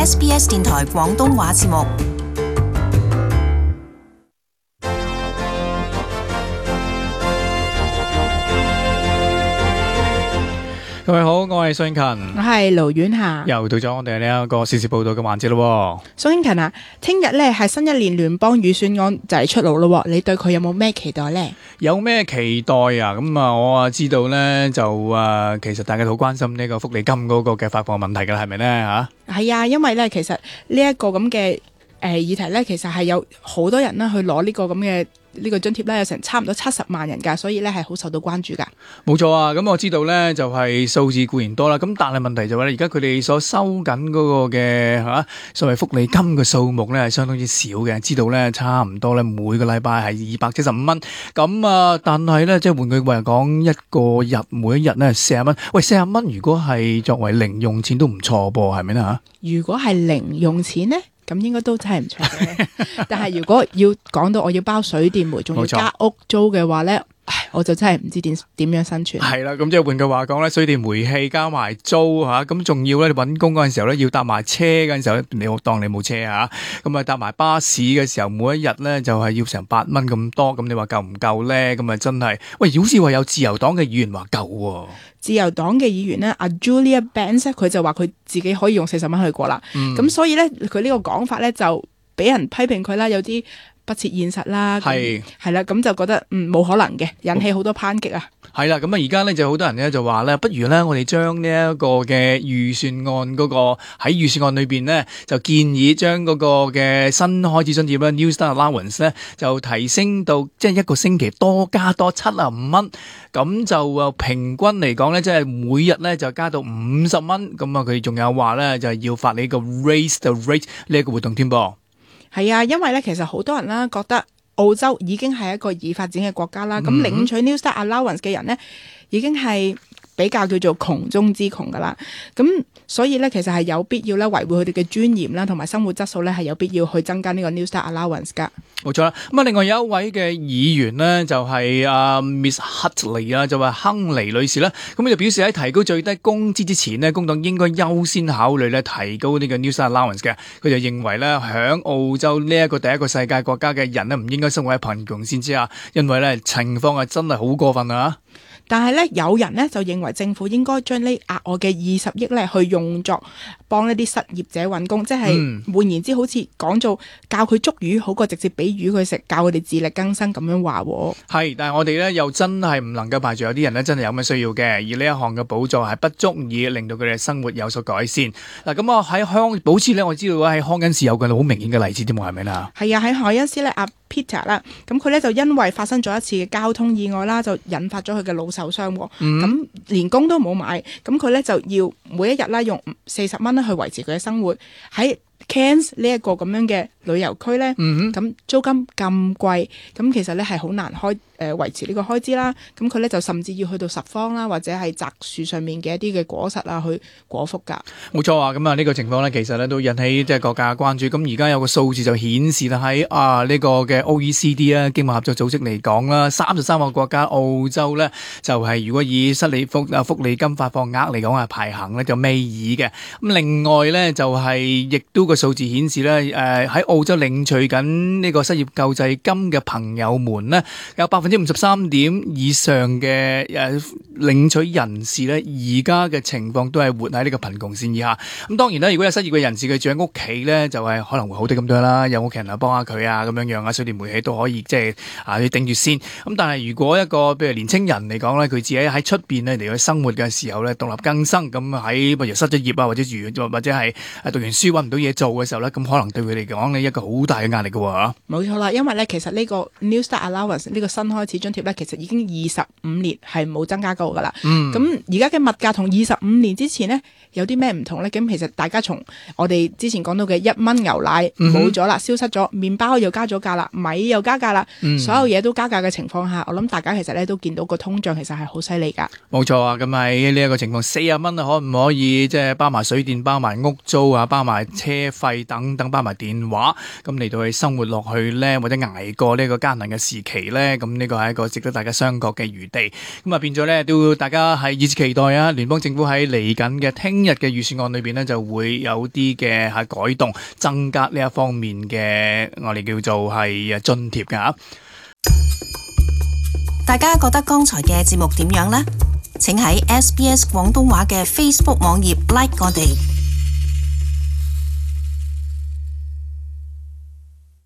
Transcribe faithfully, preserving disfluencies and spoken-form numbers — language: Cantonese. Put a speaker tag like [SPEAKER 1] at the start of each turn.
[SPEAKER 1] S B S 電台廣東話節目。
[SPEAKER 2] 各位好，我係蘇英勤，
[SPEAKER 3] 我係盧婉霞，
[SPEAKER 2] 又到咗我哋呢一個時事報道嘅環節咯。
[SPEAKER 3] 蘇英勤啊，聽日咧係新一年聯邦預算案就嚟出爐咯，你對佢有冇咩期待呢？
[SPEAKER 2] 有咩期待啊？咁啊，我啊知道咧就啊，其實大家好關心呢個福利金嗰個嘅發放問題噶啦，係咪咧吓？
[SPEAKER 3] 係啊，因為咧其實呢一個咁嘅誒議題咧，其實係有好多人咧去攞呢個咁嘅。呢個津貼咧有成差唔多七十萬人㗎，所以咧係好受到關注㗎。
[SPEAKER 2] 冇錯啊，咁我知道咧就係數字固然多啦，咁但係問題就係咧，而家佢哋所收緊嗰個嘅嚇所謂福利金嘅數目咧係相當之少嘅，知道咧差唔多咧每個禮拜係二百七十五蚊，咁啊但係咧即係換句話講，一個日每一日咧四十蚊，喂四十蚊如果係作為零用錢都唔錯噃，係咪咧嚇？
[SPEAKER 3] 如果係零用錢咧？咁應該都真係唔錯嘅，但係如果要講到我要包水電煤，仲要加屋租嘅話咧，唉，我就真係唔知點點樣生存。
[SPEAKER 2] 係啦，咁即係換句話講咧，水電煤氣加埋租吓，咁仲要咧你搵工嗰陣時候咧要搭埋車嗰陣時候，你好當你冇車吓，咁啊搭埋巴士嘅時候，每一日咧就係要成八蚊咁多，咁你話夠唔夠咧？咁啊真係，喂，好似話有自由黨嘅議員話夠喎。
[SPEAKER 3] 自由黨嘅議員咧，阿 Julia Banks 佢就話佢自己可以用四十蚊去過啦，咁、嗯、所以咧佢呢個講法咧就俾人批評佢啦，有啲不切現實啦，係係啦，咁就覺得嗯冇可能嘅，引起好多抨擊啊。
[SPEAKER 2] 係啦，咁啊而家咧就好多人咧就話咧，不如咧我哋將呢一個嘅預算案嗰、嗰個喺預算案裏邊咧就建議將嗰個嘅新開支津貼咧 New Start Allowance 咧就提升到即係一個星期多加多七啊五蚊，咁就啊平均嚟講咧即係每日咧就加到五十蚊，咁啊佢仲有話咧就係要發呢個 Raise the Rate 呢一個活動添噃。
[SPEAKER 3] 係啊，因為咧其實好多人啦覺得澳洲已經係一個已發展嘅國家啦，咁、嗯、領取 New Start Allowance 嘅人呢，已經係比較叫做窮中之窮噶啦，咁所以咧其實係有必要咧維護佢哋嘅尊嚴啦，同埋生活質素咧係有必要去增加呢個 New Start Allowance 噶。
[SPEAKER 2] 冇錯啦，咁啊另外有一位嘅議員呢，就係啊 Miss Hutley 啊，就話亨利女士啦，咁佢就表示喺提高最低工資之前呢，工黨應該優先考慮咧提高呢個 New Start Allowance 嘅。佢就認為咧響澳洲呢一個第一個世界國家嘅人呢，唔應該生活喺貧窮線之下，因為咧情況係真係好過分啊！
[SPEAKER 3] 但係咧，有人咧就認為政府應該將呢額外嘅二十億咧去用作幫一啲失業者揾工，即係換言之，好似講做教佢捉魚好過直接俾魚佢食，教佢哋自力更生咁樣話。
[SPEAKER 2] 係，但係我哋咧又真係唔能夠排除有啲人咧真係有咩需要嘅，而呢一項嘅補助係不足以令到佢哋生活有所改善。嗱，咁我喺康保斯咧，我知道喺康恩市有個好明顯嘅例子添，係咪啊？係
[SPEAKER 3] 啊，喺海恩斯咧，阿 Peter 啦，咁佢咧就因為發生咗一次嘅交通意外啦，就引發咗佢嘅腦受傷，咁、嗯、連工都冇買，咁佢咧就要每一日啦用四十蚊去維持佢嘅生活。喺 Cairns 呢一個咁樣嘅旅遊區咧，咁、嗯、租金咁貴，咁其實咧係好難開誒、呃、維持呢個開支啦。咁佢咧就甚至要去到拾荒啦，或者係摘樹上面嘅一啲嘅果實啊去果腹噶。冇錯啊，咁啊呢個情況咧其實咧都引起即係各界嘅關注。咁而家有個數字就顯示啦，喺啊呢、這個嘅 O E C D 啊經貿合作組織嚟講啦，三十三個國家澳洲咧就係、是、如果以失利福啊福利金發放額嚟講係排行咧就尾二嘅。咁另外咧就係、是、亦都個數字顯示咧，誒、呃、喺澳洲領取緊呢個失業救濟金嘅朋友們呢，有百分之五十三點以上嘅誒、呃、領取人士呢，而家嘅情況都係活喺呢個貧窮線以下。咁當然啦，如果有失業嘅人士佢住喺屋企呢，就係、是、可能會好啲咁多啦，有屋企人啊幫下佢啊咁樣樣啊，水電煤氣都可以即係啊要頂住先。咁但係如果一個譬如年青人嚟講咧，佢自己喺出邊咧嚟去生活嘅時候咧，獨立更生咁喺譬如失咗業啊，或者住或者係讀完書揾唔到嘢做嘅時候咧，咁可能對佢嚟講呢一個好大嘅壓力嘅喎。冇錯啦，因為咧其實呢個 New Start Allowance 呢個新開始津貼咧，其實已經二十五年係冇增加過噶啦。咁而家嘅物價同二十五年之前呢，有啲咩唔同咧？咁其實大家從我哋之前講到嘅一蚊牛奶冇咗啦，消失咗，麵包又加咗價啦，米又加價啦、嗯，所有嘢都加價嘅情況下，我諗大家其實咧都見到個通脹其實係好犀利噶。冇錯啊，咁喺呢一個情況，四十蚊啊，可唔可以即係包埋水電、包埋屋租啊、包埋車費等等，包埋電話，咁嚟到去生活落去咧，或者捱過呢個艱難嘅時期咧？咁呢
[SPEAKER 2] 呢個係一個值得大家商榷嘅餘地。咁啊變咗咧，都大家係熱切期待啊！聯邦政府喺嚟緊嘅聽日嘅預算案裏邊呢，就會有啲嘅係改動，增加呢一方面嘅我哋叫做係津貼㗎。
[SPEAKER 1] 大家覺得剛才嘅節目點樣呢？請喺 S B S 廣東話嘅 Facebook 網頁 like 我哋。